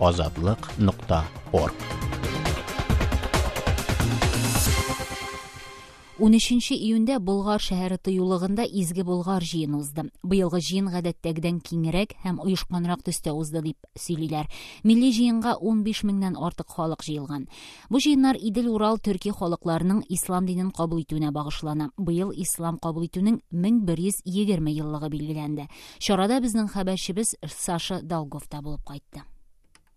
Азатлык нокта орг. 13 июньдә Болгар шәһәре тыюлыгында Изге Болгар җыены узды. Быелгы җыен гадәттәгедән киңрәк һәм оешканрак төстә узды дип сөйлиләр. Милли җыенга 15 меңнән артык халык җыелган. Бу җыеннар Идел-Урал төрки халыкларының ислам динен кабул итүенә багышлана. Быел ислам кабул итүнең 1120 еллыгы билгеләнде. Чарада безнең хәбәрчебез Саша Долгов та булып кайтты.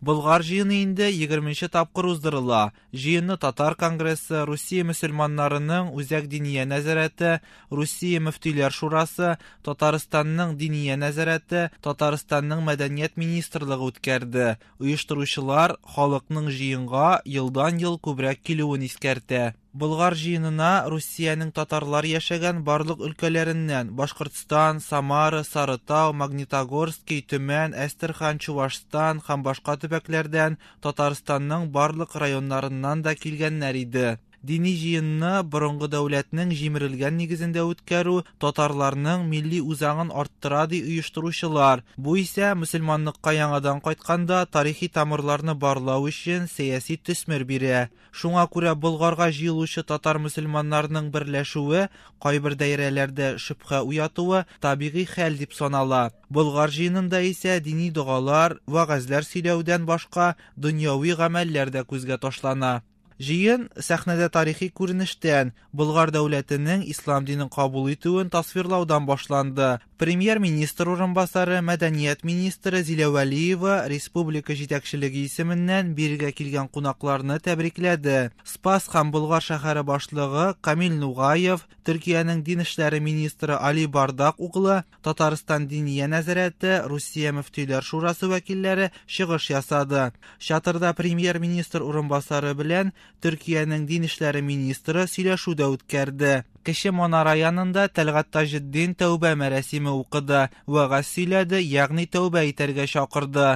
Болгар җыены инде 20 тапкыр уздырыла. Җыенны Татар конгрессы, Русия мөселманнарының Үзәк диния нәзарәте, Русия мөфтиләр шурасы, Татарстанның диния нәзарәте, Татарстанның мәдәният министрлыгы үткәрде. Оештыручылар халыкның җыенга елдан-ел күбрәк килүен искәртә. Болгар җыенына Русиянең татарлар яшәгән барлык өлкәләреннән Башкортстан, Самара, Сарытау, Магнитогорский, Төмән, Әстерхан, Чувашстан һәм башка төбәкләрдән, Татарстанның барлык районнарыннан да килгәннәр иде. Дини җыенны борынгы дәүләтнең җимерелгән нигезендә үткәрү татарларның милли үзаңын арттыра ди оештыручылар. Бу исә мөселманлыкка яңадан кайтканда тарихи тамырларны барлау өчен сәяси төсмер бирә. Шуңа күрә Болгарга җыелучы татар мөселманнарының берләшүе кайбер даирәләрдә шөбһә уятуы табигый хәл дип санала. Болгар җыенында исә дини догалар, вәгазьләр сөйләүдән башка дөньяви гамәлләр дә күзгә ташлана. Җыен сәхнәдә тарихи күренештән, Болгар дәүләтенең ислам динен кабул итүен тасвирлаудан башланды. Премьер-министр урынбасары, мәдәният министры Зилә Вәлиева республика җитәкчелеге исеменнән бирегә килгән кунакларны тәбрикләде. Спас һәм Болгар шәһәре башлыгы Камил Нугаев, Төркиянең дин эшләре министры Али Бардак углы, Татарстан Диния нәзарәте, Русия мөфтиләр шурасы вәкилләре чыгыш ясады. Чатырда премьер-министр урынбасары белән Төркиянең дин эшләре министры сөйләшү дә үткәрде. Кече манара янында Тәлгать Таҗетдин тәүбә мәрасиме укыды, вәгазь сөйләде, ягъни тәүбә итәргә чакырды.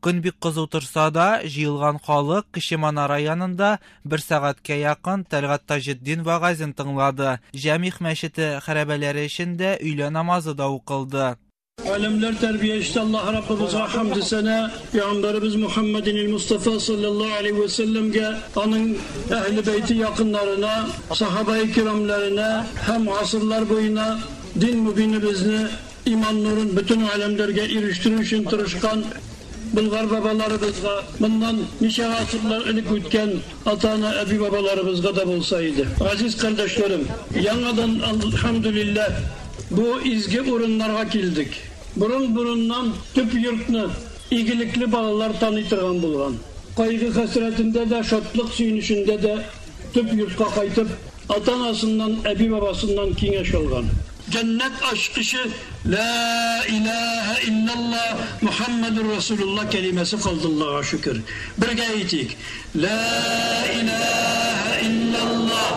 Көн бик кызу торса да, җыелган халык Кече манара янында бер сәгатькә якын Тәлгать Таҗетдин вәгазен тыңлады. Җәмигъ мәчете хәрабәләре эчендә өйлә намазы да укылды. Alemler terbiyecisi Allah Rabbimiz'e hamdü sene, Peygamberimiz Muhammedin Mustafa sallallahu aleyhi ve sellem'ge, onun ehli beyti yakınlarına, sahabe-i kiramlarına, hem asırlar boyuna din mübinimizni, iman nurun bütün alemlerge eriştirişin tırışkan Bulgar babalarımızga, bundan nice asırlar ilik ötken atana ebi babalarımızga da bolsaydı. Aziz kardeşlerim, yanadan elhamdülillah bu izgi orunlarga geldik. Burun burundan tüp yurtны igilikli balalar tanıtırgan bulgan. Kaygı hasretinde de, şatlık suyunuşunda de tüp yurtka kaytıp atanasından, ebi babasından kengeş olgan. Cennet aşkışı La ilahe illallah Muhammedur Resulullah kelimesi kaldı Allah'a şükür. Birge aytayik. La ilahe illallah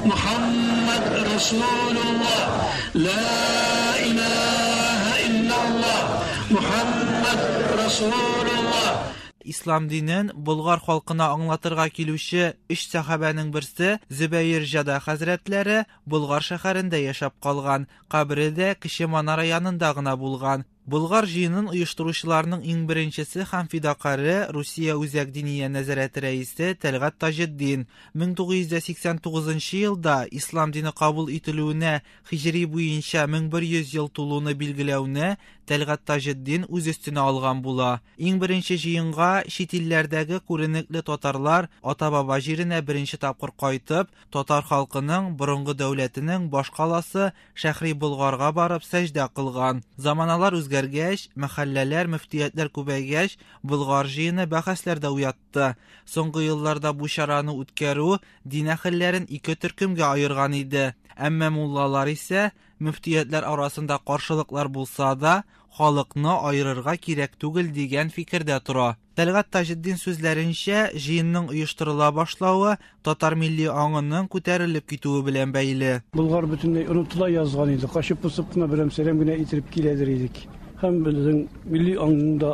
Muhammed Resulullah. La ilahe illallah Muhammed Resulullah. Ислам динен Болгар халкына аңлатырга килүче өч сәхабәнең берсе Зөбәер Җада хәзрәтләре Болгар шәһәрендә яшәп калган, кабере дә Кече манара янында гына булган. Болгар җыенын оештыручыларның иң беренчесе һәм фидакаре Русия Үзәк диния нәзарәте рәисе Тәлгать Таҗетдин. 1989 елда ислам дине кабул ителүенә һиҗри буенча 1100 ел тулуны билгеләүне Тәлгать Таҗетдин үз өстенә алган була. Иң беренче җыенга чит илләрдәге күренекле татарлар ата-баба җиренә беренче тапкыр кайтып, татар халкының борынгы дәүләтенең баш каласы Шәһри Болгарга барып сәҗдә кылган. Заманалар үзгәргәч, мәхәлләләр, мөфтиятләр күбәйгәч, Болгар җыены бәхәсләр дә уятты. Соңгы елларда бу чараны үткәрү дин әһелләрен ике төркемгә аерган иде. Әмма муллалар исә мөфтиятләр арасында каршылыклар булса да, халыкны аерырга кирәк түгел дигән фикердә тора. Тәлгать Таҗетдин сүзләренчә, җыенның оештырыла башлавы татар милли аңының күтәрелеп китүе белән бәйле. Болгар бөтенләй онытыла язган иде. Качып посып кына берәм-сәрәм генә иттереп киләдер идек. Һәм безнең милли аңның да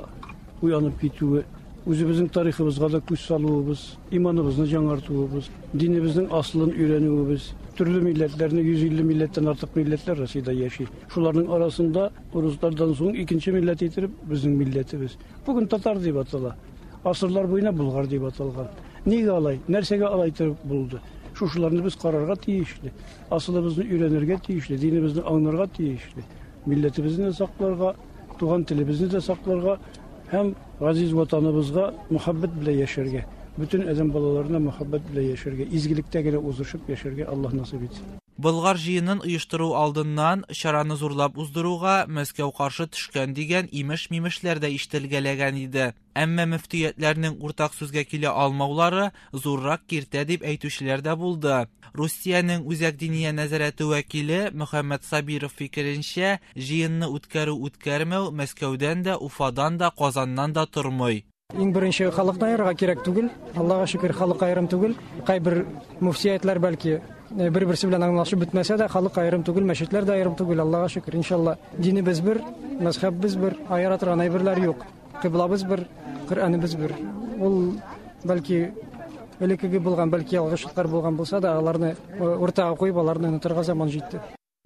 уянып китүе, үзебезнең тарихыбызга да күз салуыбыз, иманыбызны яңартуыбыз, динебезнең асылын өйрәнүебез, төрле милләтләрне 150 милләттән артык милләтләр Россиядә яши. Шуларның арасында урыслардан соң икенче милләт иттереп безнең милләтебез. Бүген татар дип атала. Асырлар буена Болгар дип аталган. Нигә алай? Нәрсәгә алай торып булды? Шушыларны без карарга тиешле. Асылыбызны өйрәнергә тиешле, динебезне аңларга тиешле. Милләтебезне дә сакларга, туган телебезне дә сакларга һәм газиз ватаныбызга мөхәббәт белән яшәргә, бөтен адәм балаларына мөхәббәт белән яшәргә, изгелектә генә узышып яшәргә Аллаһ насыйп итсен. Болгар җыенын оештыру алдыннан чараны зурлап уздыруга Мәскәү каршы төшкән дигән имеш-мимешләр дә ишетелгәләгән иде. Әмма мөфтиятләрнең уртак сүзгә килә алмаулары зуррак киртә дип әйтүчеләр дә булды. Русиянең Үзәк диния нәзарәте вәкиле Мөхәммәд Сабиров фикеренчә, җыенны үткәрү-үткәрмәү Мәскәүдән дә, Уфадан да, Казаннан да тормый. Иң беренче халыкны аерырга кирәк түгел. Аллага шөкер, халык аерым түгел. Кайбер мөфтиятләр бәлки бер-берсе белән аңлашып бетмәсә дә, халык аерым түгел, мәчетләр дә аерым түгел, Аллага шөкер. Иншалла, динебез бер, мәзһәбебез бер, аера торган әйберләр юк. Кыйблабыз бер, Коръәнебез бер. Ул бәлки элеккеге булган, бәлки ялгышлыклар булган булса да, аларны уртага куеп, аларны онытырга заман җитте.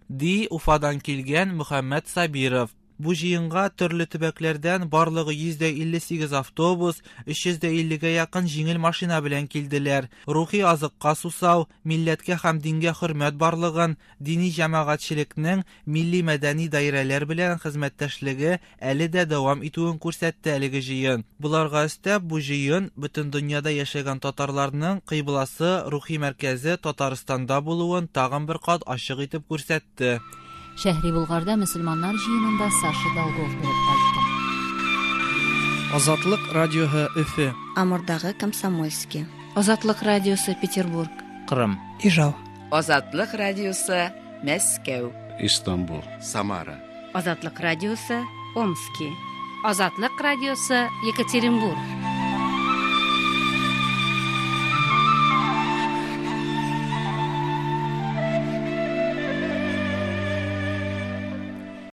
Ди Уфадан килгән Мөхәммәт Сабиров. Бу җыенга төрле төбәкләрдән барлыгы 158 автобус, 350 гә якын җиңел машина белән килделәр. Рухи азыкка сусау, милләткә һәм дингә хөрмәт барлыгын, дини җәмәгатьчелекнең милли мәдәни даирәләр белән хезмәттәшлеге әле дә дәвам итүен күрсәтте әлеге җыен. Боларга өстәп, бу җыен бөтен дөньяда яшәгән татарларның кыйбласы, рухи мәркәзе Татарстанда булуын тагын бер кат ачык итеп күрсәтте. Шәһри Болгарда мөселманнар җыенында Саша Долгов булып кайтты. Азатлык радиоһы Өфе. Амурдагы Комсомольский. Азатлык радиосы Петербург. Кырым. Ижау. Азатлык радиосы Мәскәү. Истанбул. Самара. Азатлык радиосы Омски. Азатлык радиосы Екатеринбург.